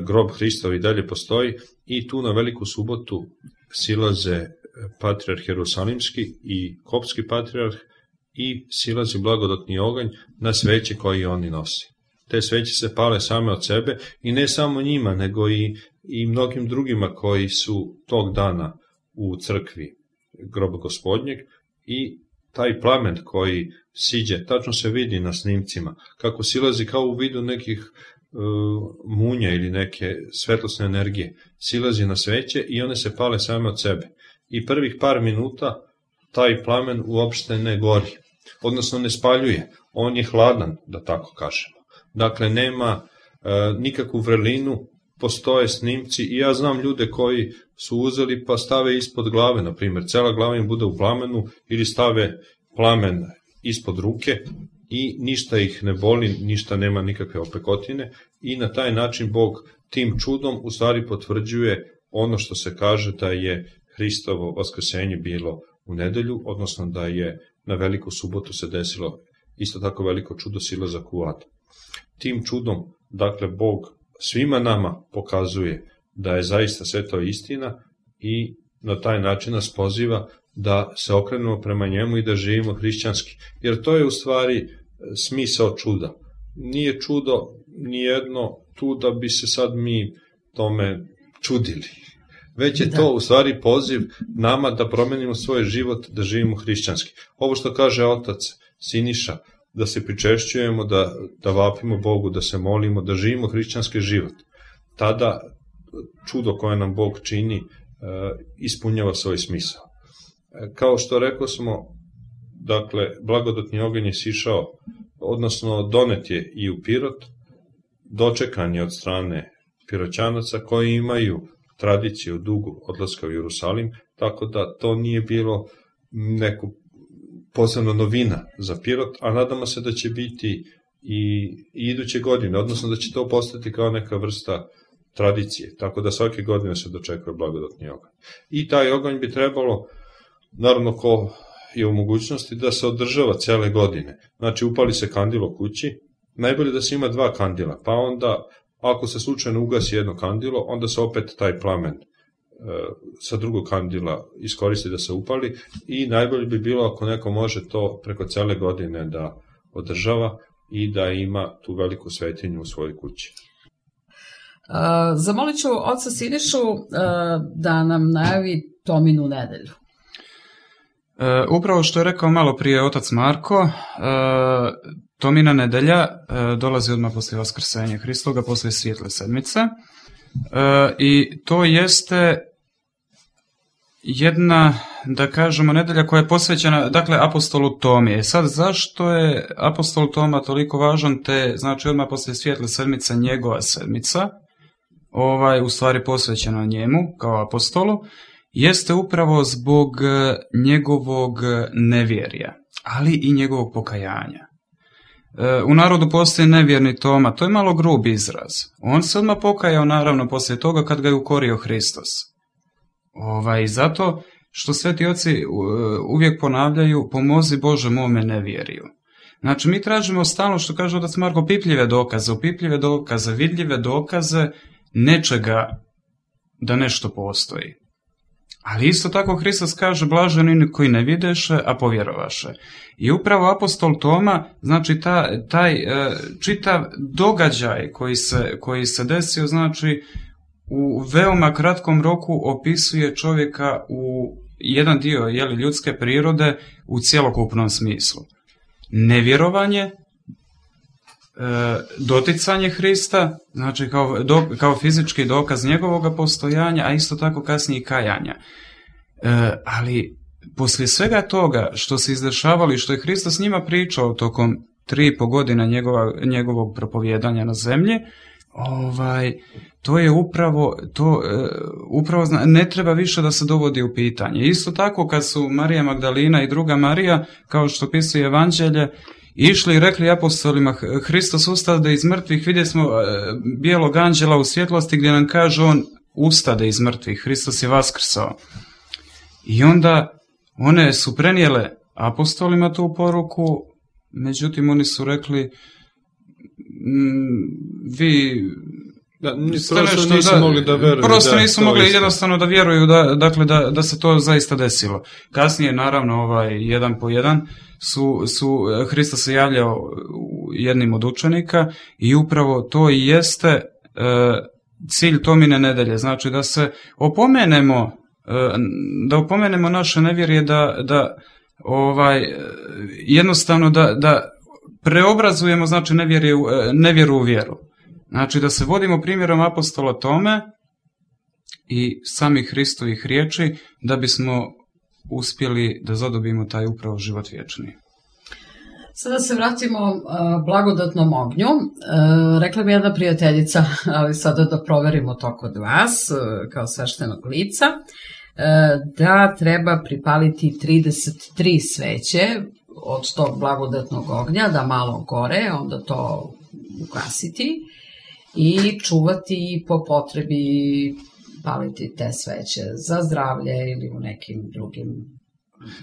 grob Hristov i dalje postoji i tu na Veliku subotu silaze patrijarh Jerusalimski i kopski patrijarh i silazi blagodatni oganj na sveće koje oni nosi. Te sveće se pale same od sebe i ne samo njima, nego i, i mnogim drugima koji su tog dana u crkvi groba Gospodnjeg i taj plamen koji siđe, tačno se vidi na snimcima, kako silazi kao u vidu nekih uh, munja ili neke svetlosne energije, silazi na sveće i one se pale same od sebe. I prvih par minuta taj plamen uopšte ne gori, odnosno ne spaljuje, on je hladan, da tako kažemo. Dakle, nema uh, nikakvu vrelinu, postoje snimci i ja znam ljude koji su uzeli pa stave ispod glave, na primjer, cela glava im bude u plamenu ili stave plamen ispod ruke i ništa ih ne boli, ništa nema nikakve opekotine i na taj način Bog tim čudom u stvari potvrđuje ono što se kaže da je Hristovo vaskrsenje bilo u nedelju, odnosno da je na Veliku subotu se desilo isto tako veliko čudo, silazak u ad. Tim čudom, dakle, Bog svima nama pokazuje da je zaista sve to istina i na taj način nas poziva da se okrenemo prema njemu i da živimo hrišćanski. Jer to je u stvari smisao čuda. Nije čudo nijedno tu da bi se sad mi tome čudili. Već je to u stvari poziv nama da promenimo svoj život, da živimo hrišćanski. Ovo što kaže otac Siniša, da se pričešćujemo, da, da vapimo Bogu, da se molimo, da živimo hrišćanski život. Tada čudo koje nam Bog čini ispunjava svoj smisao. Kao što rekao smo, dakle, blagodatni oganj je sišao, odnosno donet je i u Pirot, dočekan je od strane Piroćanaca koji imaju tradiciju dugu odlaska u Jerusalim, tako da to nije bilo neko posebna novina za Pirot, a nadamo se da će biti i, i iduće godine, odnosno da će to postati kao neka vrsta tradicije, tako da svake godine se dočekuje blagodatni oganj. I taj oganj bi trebalo, naravno ko je u mogućnosti, da se održava cele godine. Znači upali se kandil u kući, najbolje da se ima dva kandila, pa onda ako se slučajno ugasi jedno kandilo, onda se opet taj plamen e, sa drugog kandila iskoristi da se upali i najbolje bi bilo ako neko može to preko cele godine da održava i da ima tu veliku svetinju u svojoj kući. Uh, zamolit ću oca Sinišu uh, da nam najavi Tominu nedelju. E, upravo što je rekao malo prije otac Marko, e, Tomina nedelja e, dolazi odmah poslije vaskrsenja Hristoga, poslije svijetle sedmice e, i to jeste jedna, da kažemo, nedelja koja je posvećena, dakle, apostolu Tomi. E sad, zašto je apostol Toma toliko važan, te, znači, odmah poslije svijetle sedmice njegova sedmica, ovaj, u stvari posvećena njemu kao apostolu, jeste upravo zbog njegovog nevjerja, ali i njegovog pokajanja. U narodu postoji nevjerni Toma, to je malo grub izraz. On se odmah pokajao, naravno, poslije toga kad ga je ukorio Hristos. Ovaj, zato što sveti oci uvijek ponavljaju, pomozi Bože mome nevjeriju. Znači, mi tražimo stalno, što kaže otac Marko, pipljive dokaze, opipljive dokaze, vidljive dokaze nečega da nešto postoji. Ali isto tako Hristos kaže, blaženi oni koji ne videše, a povjerovaše. I upravo apostol Toma, znači ta, taj e, čitav događaj koji se, koji se desio, znači u veoma kratkom roku opisuje čovjeka u jedan dio jeli, ljudske prirode u cjelokupnom smislu. Nevjerovanje, e, doticanje Hrista, znači kao, do, kao fizički dokaz njegovog postojanja, a isto tako kasnije i kajanja. E, ali poslije svega toga što se izdešavalo i što je Hristos s njima pričao tokom tri i po godina njegova, njegovog propovjedanja na zemlji, ovaj, to je upravo, to, e, upravo ne treba više da se dovodi u pitanje. Isto tako kad su Marija Magdalina i druga Marija, kao što pisuje Evanđelje, išli i rekli apostolima, Hristos ustade iz mrtvih, vidjeli smo e, bijelog anđela u svjetlosti gdje nam kaže on ustade iz mrtvih, Hristos je vaskrsao. I onda one su prenijele apostolima tu poruku, međutim oni su rekli m, vi da, prosto nisu da, mogli da vjeruju. Prosto da, nisu mogli isto. jednostavno da vjeruju da, dakle, da, da se to zaista desilo. Kasnije, naravno, ovaj, jedan po jedan su, su Hristos se javljao jednim od učenika i upravo to i jeste e, cilj Tomine nedelje. Znači da se opomenemo da opomenemo naše nevjerje, da, da ovaj, jednostavno da, da preobrazujemo znači nevjeru, nevjeru u vjeru. Znači da se vodimo primjerom apostola Tome i samih Hristovih riječi da bismo uspjeli da zadobimo taj upravo život vječni. Sada se vratimo uh, blagodatnom ognju. Uh, rekla mi jedna prijateljica, ali sada da proverimo to kod vas, uh, kao sveštenog lica, uh, da treba pripaliti trideset tri sveće od tog blagodatnog ognja, da malo gore, onda to ugasiti i čuvati po potrebi paliti te sveće za zdravlje ili u nekim drugim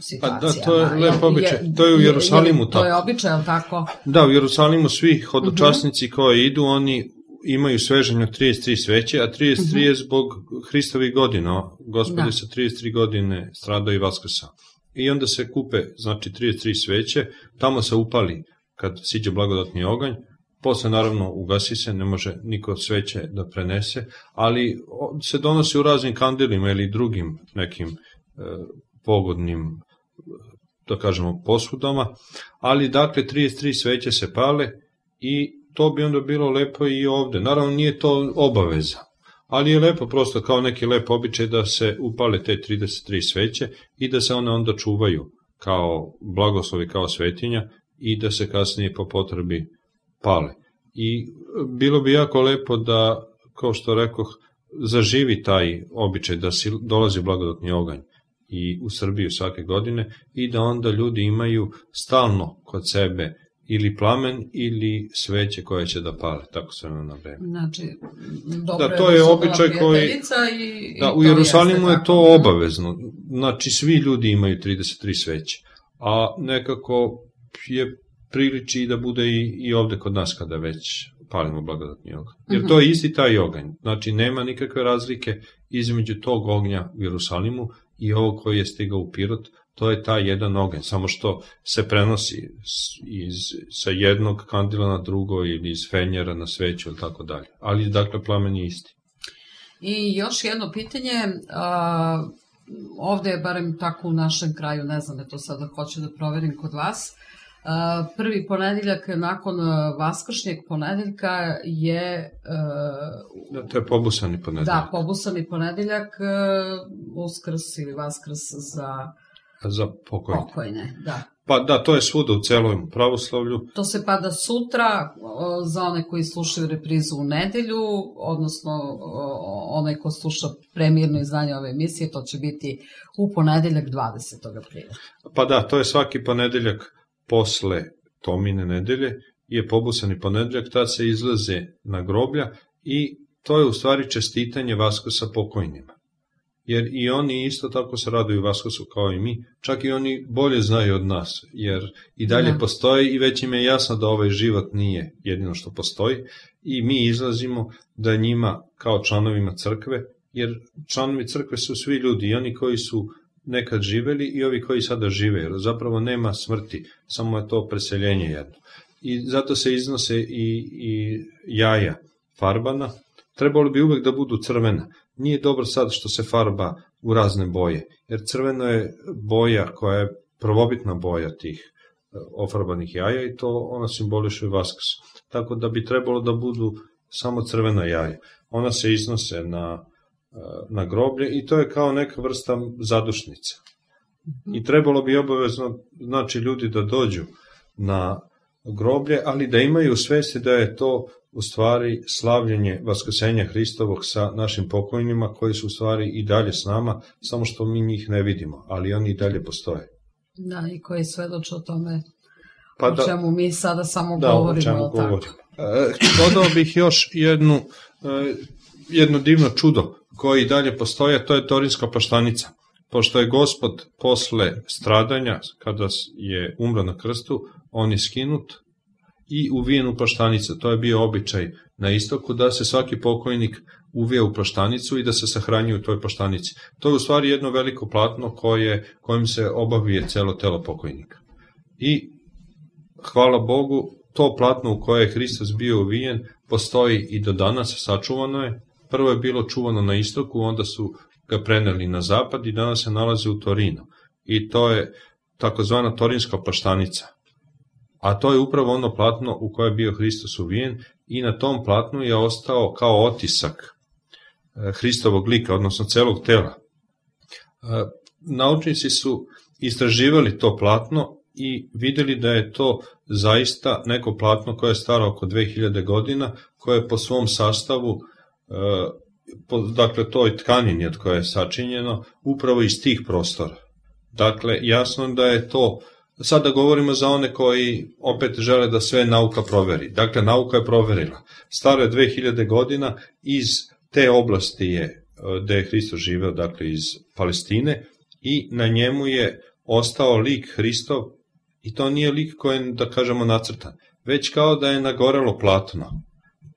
situacijama. Pa da, to je lep običaj. To je u Jerusalimu tako. To je običaj, ali tako? Da, u Jerusalimu svi hodočasnici uh-huh. koji idu, oni imaju sveženje trideset tri sveće, a trideset tri uh-huh. je zbog Hristovih godina. Gospodin sa trideset tri godine stradao i vaskrsao. I onda se kupe, znači, trideset tri sveće, tamo se upali kad siđe blagodatni oganj, posle naravno ugasi se, ne može niko sveće da prenese, ali se donosi u raznim kandilima ili drugim nekim e, pogodnim, da kažemo, posudama, ali dakle trideset tri sveće se pale i to bi onda bilo lepo i ovde. Naravno nije to obaveza, ali je lepo prosto kao neki lep običaj da se upale te trideset tri sveće i da se one onda čuvaju kao blagoslovi, kao svetinja i da se kasnije po potrebi pale. I bilo bi jako lepo da, kao što rekoh, zaživi taj običaj da si dolazi blagodatni oganj i u Srbiju svake godine i da onda ljudi imaju stalno kod sebe ili plamen ili sveće koje će da pale, tako se ono na vreme. Znači, dobro da, to je običaj koji i, da, i u Jerusalimu je to tako. Obavezno. Znači, svi ljudi imaju trideset tri sveće, a nekako je priliči i da bude i, i ovde kod nas kada već palimo blagodatni oganj. Jer to je isti taj oganj. Znači, nema nikakve razlike između tog ognja u Jerusalimu i ovog koji je stigao u Pirot. To je taj jedan oganj, samo što se prenosi iz, sa jednog kandila na drugo ili iz fenjera na sveću ili tako dalje. Ali, dakle, plamen je isti. I još jedno pitanje, a, ovde je barem tako u našem kraju, ne znam, to sada hoću da proverim kod vas, a, prvi ponedeljak nakon vaskršnjeg ponedeljka je... A, da, to je pobusani ponedeljak. Da, pobusani ponedeljak, a, uskrs ili vaskrs za... Za pokojne. Pokojne, da. Pa da, to je svuda u celom pravoslavlju. To se pada sutra za one koji slušaju reprizu u nedelju, odnosno onaj ko sluša premijerno izdanje ove emisije, to će biti u ponedeljak dvadesetog aprila. Pa da, to je svaki ponedeljak posle Tomine nedelje, je pobusani ponedeljak, tad se izlaze na groblja i to je u stvari čestitanje Vaskrsa pokojnima. jer i oni isto tako se raduju Vaskrsu kao i mi, čak i oni bolje znaju od nas, jer i dalje Da. postoji i već im je jasno da ovaj život nije jedino što postoji i mi izlazimo da njima kao članovima crkve, jer članovi crkve su svi ljudi, i oni koji su nekad živeli i ovi koji sada žive, jer zapravo nema smrti, samo je to preseljenje jedno. I zato se iznose i, i jaja farbana, trebalo bi uvek da budu crvena. Nije dobro sad što se farba u razne boje, jer crveno je boja koja je prvobitna boja tih ofarbanih jaja i to ona simboliše Vaskrs. Tako da bi trebalo da budu samo crvena jaja. Ona se iznose na, na groblje i to je kao neka vrsta zadušnica. I trebalo bi obavezno, znači, ljudi da dođu na groblje, ali da imaju svesti da je to u stvari slavljenje vaskrsenja Hristovog sa našim pokojnima koji su u stvari i dalje s nama, samo što mi njih ne vidimo, ali oni i dalje postoje. Da, i koji svedoče o tome Pa o da, čemu mi sada samo da, govorimo. o čemu jel tako? govorimo. E, dodao bih još jednu, e, jedno divno čudo koje i dalje postoje, to je Torinska plaštanica. Pošto je Gospod posle stradanja, kada je umro na krstu, on je skinut i uvijen u plaštanicu. To je bio običaj na istoku da se svaki pokojnik uvije u plaštanicu i da se sahranjuje u toj plaštanici. To je u stvari jedno veliko platno koje, kojim se obavije celo telo pokojnika. I hvala Bogu, to platno u koje je Hristos bio uvijen postoji i do danas, sačuvano je. Prvo je bilo čuvano na istoku, onda su ga preneli na zapad i danas se nalazi u Torinu. I to je takozvana Torinska plaštanica. A to je upravo ono platno u koje je bio Hristos uvijen i na tom platnu je ostao kao otisak Hristovog lika, odnosno celog tela. Naučnici su istraživali to platno i videli da je to zaista neko platno koje je staro oko dve hiljade godina, koje je po svom sastavu, po, dakle toj tkanini od koje je sačinjeno, upravo iz tih prostora. Dakle, jasno da je to, sada govorimo za one koji opet žele da sve nauka proveri. Dakle, nauka je proverila. Staro je dve hiljade godina, iz te oblasti je, gde je Hristos živeo, dakle iz Palestine, i na njemu je ostao lik Hristov, i to nije lik koji je, da kažemo, nacrtan, već kao da je nagorelo platno.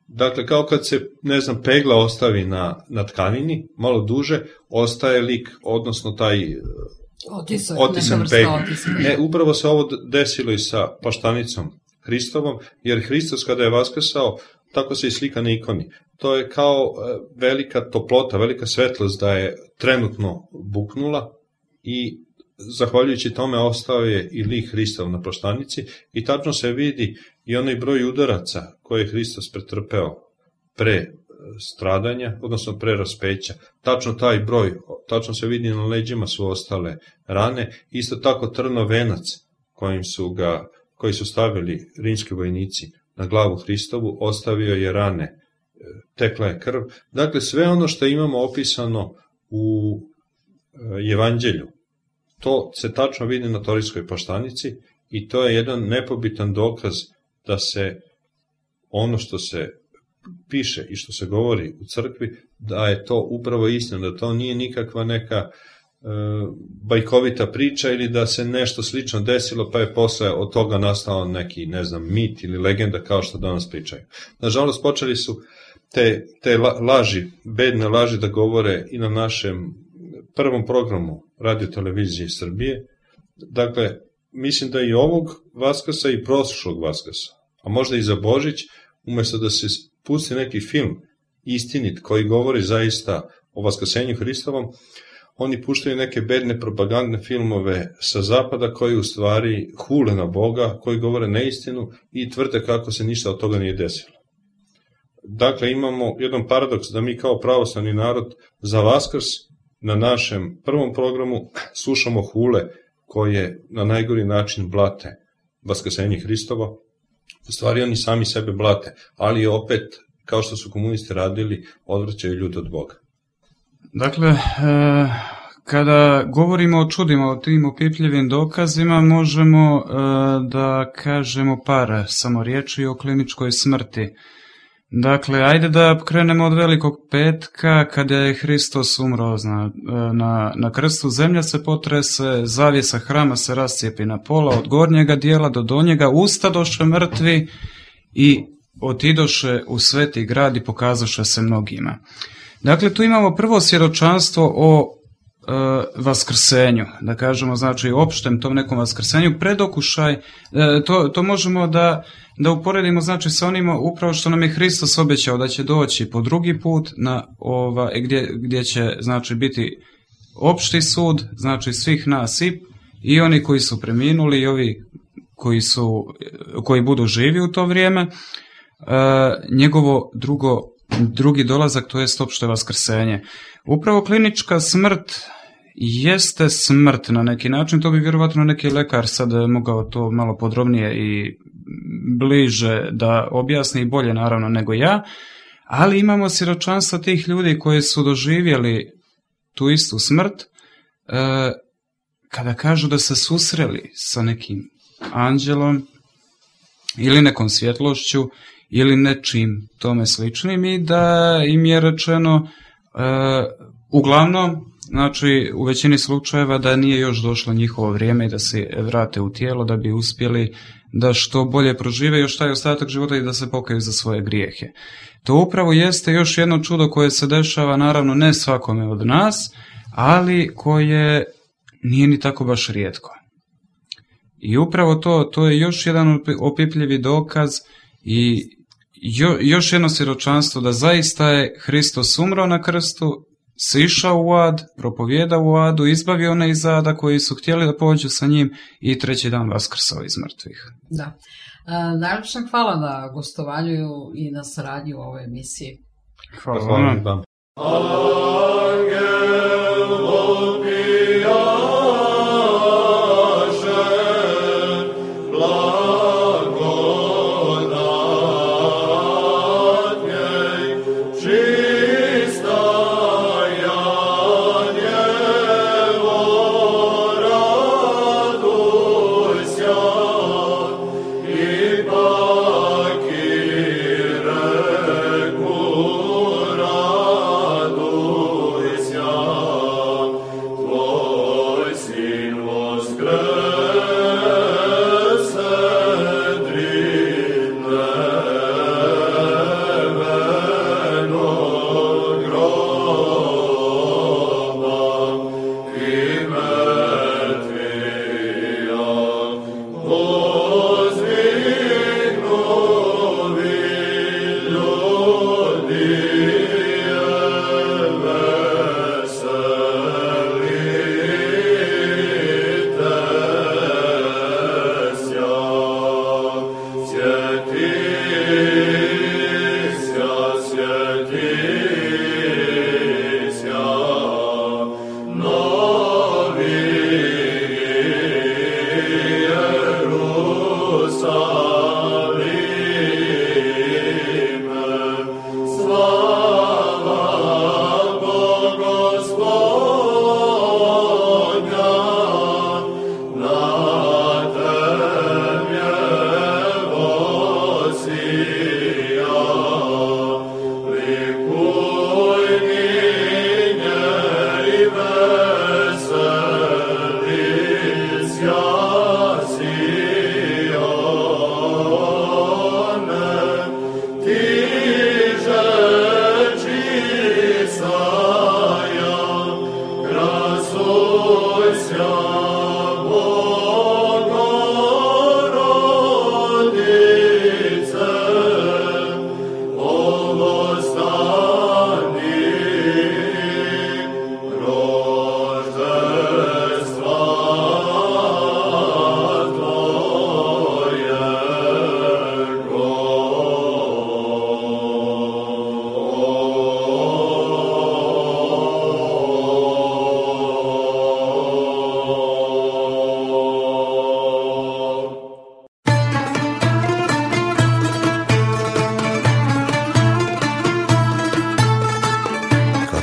Dakle, kao kad se, ne znam, pegla ostavi na, na tkanini, malo duže, ostaje lik, odnosno taj Otisak, otisan neka pegla. vrsta otiska. Ne, upravo se ovo desilo i sa plaštanicom Hristovom, jer Hristos kada je vaskrsao, tako se i slika na ikoni. To je kao velika toplota, velika svetlost da je trenutno buknula i zahvaljujući tome ostao je i lik Hristov na plaštanici i tačno se vidi i onaj broj udaraca koje je Hristos pretrpeo pre stradanja, odnosno pre raspeća. Tačno taj broj, tačno se vidi na leđima su ostale rane, isto tako trnov venac kojim su ga, koji su stavili rimski vojnici na glavu Hristovu, ostavio je rane, tekla je krv. Dakle, sve ono što imamo opisano u Evanđelju, to se tačno vidi na Torinskoj plaštanici i to je jedan nepobitan dokaz da se ono što se piše i što se govori u crkvi, da je to upravo istina, da to nije nikakva neka e, bajkovita priča ili da se nešto slično desilo pa je posle od toga nastao neki, ne znam, mit ili legenda kao što danas pričaju. Nažalost, počeli su te, te laži, bedne laži da govore i na našem prvom programu Radio televizije Srbije. Dakle, mislim da i ovog Vaskrsa i prošlog Vaskrsa, a možda i za Božić, umesto da se pusti neki film istinit koji govori zaista o vaskrsenju Hristovom, oni puštaju neke bedne propagandne filmove sa zapada koji u stvari hule na Boga, koji govore neistinu i tvrde kako se ništa od toga nije desilo. Dakle, imamo jedan paradoks da mi kao pravoslavni narod za Vaskrs na našem prvom programu slušamo hule koje na najgori način blate vaskrsenje Hristovo. U stvari oni sami sebe blate, ali opet, kao što su komunisti radili, odvraćaju ljude od Boga. Dakle, e, kada govorimo o čudima, o tim opipljivim dokazima, možemo e, da kažemo par samo riječi o kliničkoj smrti. Dakle, ajde da krenemo od Velikog petka, kada je Hristos umro na, na, na krstu, zemlja se potrese, zavjesa hrama se rascijepi na pola, od gornjega dijela do donjega, ustadoše mrtvi i otidoše u sveti grad i pokazaše se mnogima. Dakle, tu imamo prvo svjedočanstvo o e, vaskrsenju, da kažemo, znači opštem tom nekom vaskrsenju, predokušaj, e, to, to možemo da, da uporedimo, znači, sa onima upravo što nam je Hristos obećao da će doći po drugi put, na ova, gdje, gdje će, znači, biti opšti sud, znači, svih nas i, i oni koji su preminuli i ovi koji, su, koji budu živi u to vrijeme, e, njegovo drugo drugi dolazak, to jest opšte vaskrsenje. Upravo klinička smrt jeste smrt na neki način, to bi vjerovatno neki lekar sad mogao to malo podrobnije i bliže da objasni, bolje naravno nego ja, ali imamo svjedočanstva tih ljudi koji su doživjeli tu istu smrt, e, kada kažu da se susreli sa nekim anđelom ili nekom svjetlošću ili nečim tome sličnim i da im je rečeno e, uglavnom, znači u većini slučajeva da nije još došlo njihovo vrijeme i da se vrate u tijelo da bi uspjeli da što bolje prožive još taj ostatak života i da se pokaju za svoje grijehe. To upravo jeste još jedno čudo koje se dešava, naravno ne svakome od nas, ali koje nije ni tako baš rijetko. I upravo to, to je još jedan opipljivi dokaz i jo, još jedno svjedočanstvo da zaista je Hristos umro na krstu, sišao u ad, propovjeda u adu, izbavio one iz ada koji su htjeli da pođu sa njim i treći dan vaskrsao iz mrtvih. Da. E, najljepša hvala na gostovanju i na saradnju u ovoj emisiji. Hvala, hvala vam.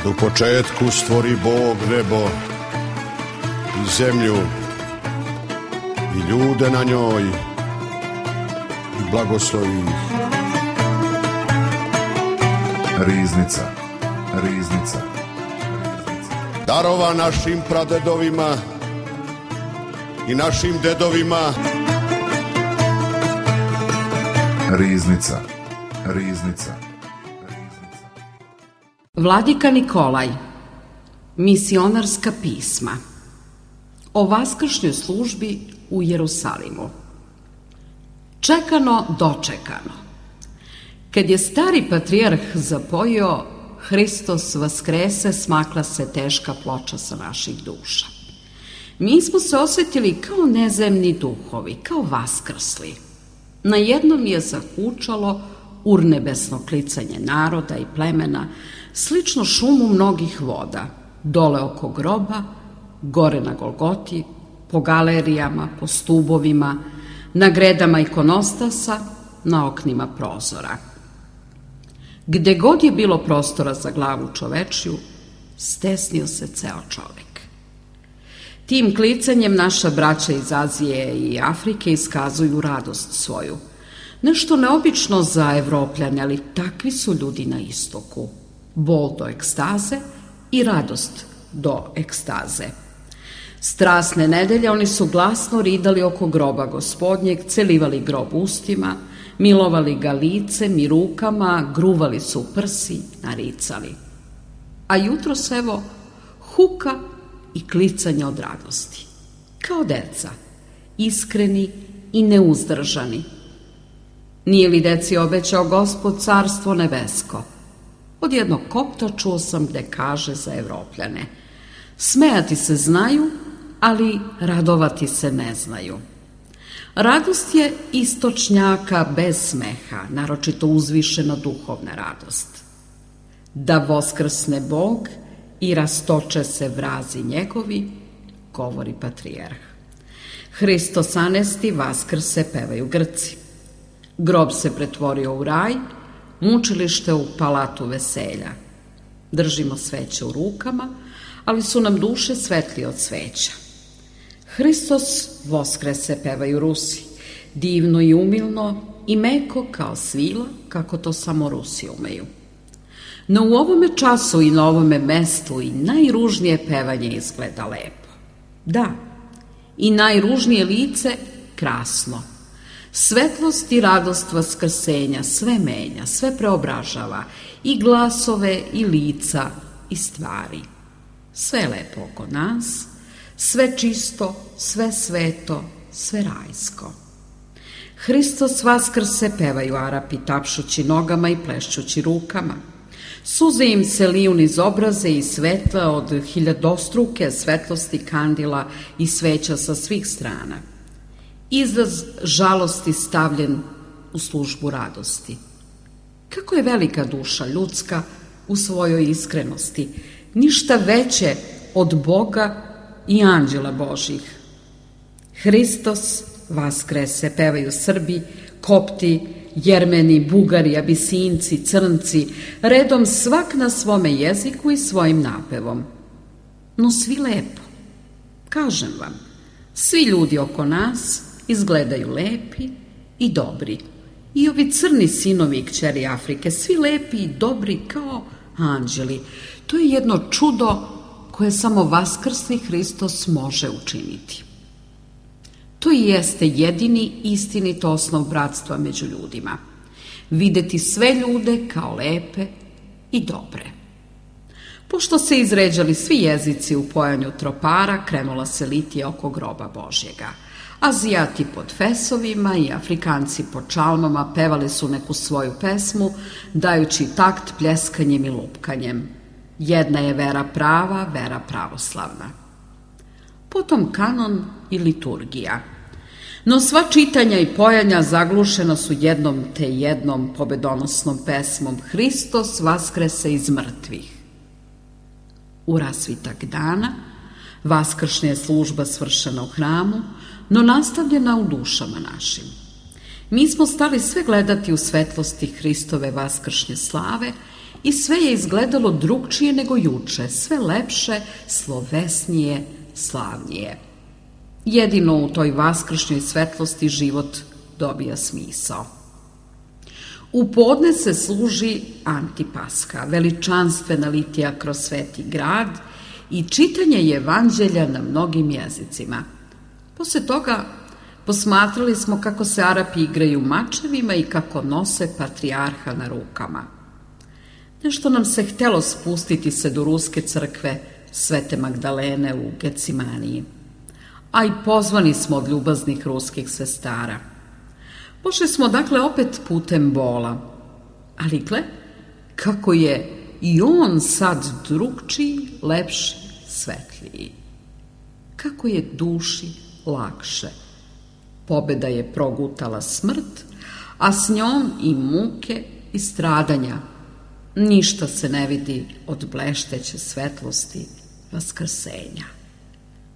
U početku stvori Bog nebo i zemlju i ljude na njoj i blagoslovi ih. Riznica, riznica. Darova našim pradedovima i našim dedovima. Riznica, riznica. Vladika Nikolaj, misionarska pisma o vaskršnjoj službi u Jerusalimu. Čekano, dočekano. Kad je stari patrijarh zapojio Hristos vaskrese, smakla se teška ploča sa naših duša. Mi smo se osjetili kao nezemni duhovi, kao vaskrsli. Na jednom je zahučalo urnebesno klicanje naroda i plemena, slično šumu mnogih voda, dole oko groba, gore na Golgoti, po galerijama, po stubovima, na gredama ikonostasa, na oknima prozora. Gde god je bilo prostora za glavu čovečju, stesnio se ceo čovek. Tim klicanjem naša braća iz Azije i Afrike iskazuju radost svoju. Nešto neobično za Evropljane, ali takvi su ljudi na istoku. Bol do ekstaze i radost do ekstaze. Strasne nedelje oni su glasno ridali oko groba Gospodnjeg, celivali grob ustima, milovali ga licem i rukama, gruvali su u prsi, naricali. A jutros, evo, huka i klicanja od radosti. Kao deca, iskreni i neuzdržani. Nije li deci obećao Gospod carstvo nebesko? Od jednog kopta čuo sam gde kaže za Evropljane: smejati se znaju, ali radovati se ne znaju. Radost je istočnjaka bez smeha, naročito uzvišena duhovna radost. Da voskrsne Bog i rastoče se vrazi njegovi, govori patrijarh. Hristos anesti, vaskrse, pevaju Grci. Grob se pretvorio u raj, mučilište u palatu veselja. Držimo sveće u rukama, ali su nam duše svetlije od sveća. Hristos voskrese, pevaju Rusi, divno i umilno i meko kao svila, kako to samo Rusi umeju. No u ovome času i na ovome mestu i najružnije pevanje izgleda lepo. Da, i najružnije lice krasno. Svetlost i radost vaskrsenja sve menja, sve preobražava, i glasove, i lica, i stvari. Sve je lepo oko nas, sve čisto, sve sveto, sve rajsko. Hristos vaskrse, pevaju Arapi, tapšući nogama i plešćući rukama. Suze im se liju niz obraze i svetla od hiljadostruke svetlosti kandila i sveća sa svih strana. Izraz žalosti stavljen u službu radosti. Kako je velika duša ljudska u svojoj iskrenosti, ništa veće od Boga i anđela Božih. Hristos vaskrese, pevaju Srbi, Kopti, Jermeni, Bugari, Abisinci, Crnci, redom svak na svome jeziku i svojim napevom. No svi lepo. Kažem vam, svi ljudi oko nas izgledaju lepi i dobri. I ovi crni sinovi i kćeri Afrike, svi lepi i dobri kao anđeli. To je jedno čudo koje samo vaskrsni Hristos može učiniti. To i jeste jedini istinit osnov bratstva među ljudima. Videti sve ljude kao lepe i dobre. Pošto se izređali svi jezici u pojanju tropara, krenula se litija oko groba Božjega. Azijati pod fesovima i Afrikanci pod čalmama pevali su neku svoju pesmu, dajući takt pljeskanjem i lupkanjem. Jedna je vera prava, vera pravoslavna. Potom kanon i liturgija. No sva čitanja i pojanja zaglušena su jednom te jednom pobedonosnom pesmom: Hristos vaskrese iz mrtvih. U rasvitak dana vaskršnja je služba svršena u hramu, no nastavljena u dušama našim. Mi smo stali sve gledati u svetlosti Hristove vaskršnje slave i sve je izgledalo drugčije nego juče, sve lepše, slovesnije, slavnije. Jedino u toj vaskršnjoj svetlosti život dobija smisao. U podne se služi Antipaska, veličanstvena litija kroz sveti grad i čitanje evanđelja na mnogim jezicima. Posle toga posmatrali smo kako se Arapi igraju mačevima i kako nose patrijarha na rukama. Nešto nam se htelo spustiti se do ruske crkve Svete Magdalene u Gecimaniji, a i pozvani smo od ljubaznih ruskih sestara. Pošli smo dakle opet putem bola, ali gle, kako je i on sad drugčiji, lepši, svetliji. Kako je duši lakše. Pobeda je progutala smrt, a s njom i muke i stradanja. Ništa se ne vidi od blešteće svetlosti vaskrsenja.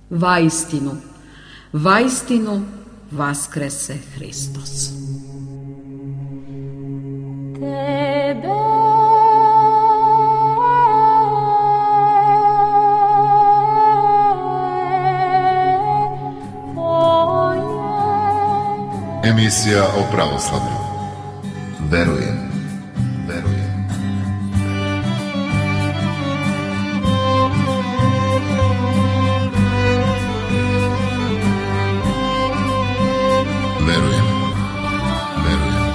Vaistinu, vaistinu vaskrese Hristos. Tebe Emisija o pravoslavlju. Verujem, verujem. Verujem, verujem.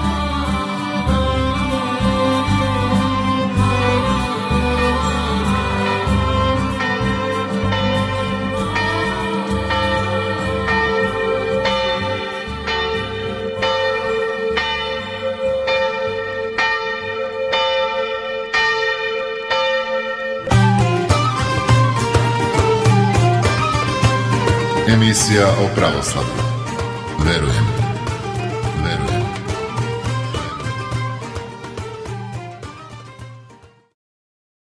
Emisija o pravoslavlju. Verujem, verujem.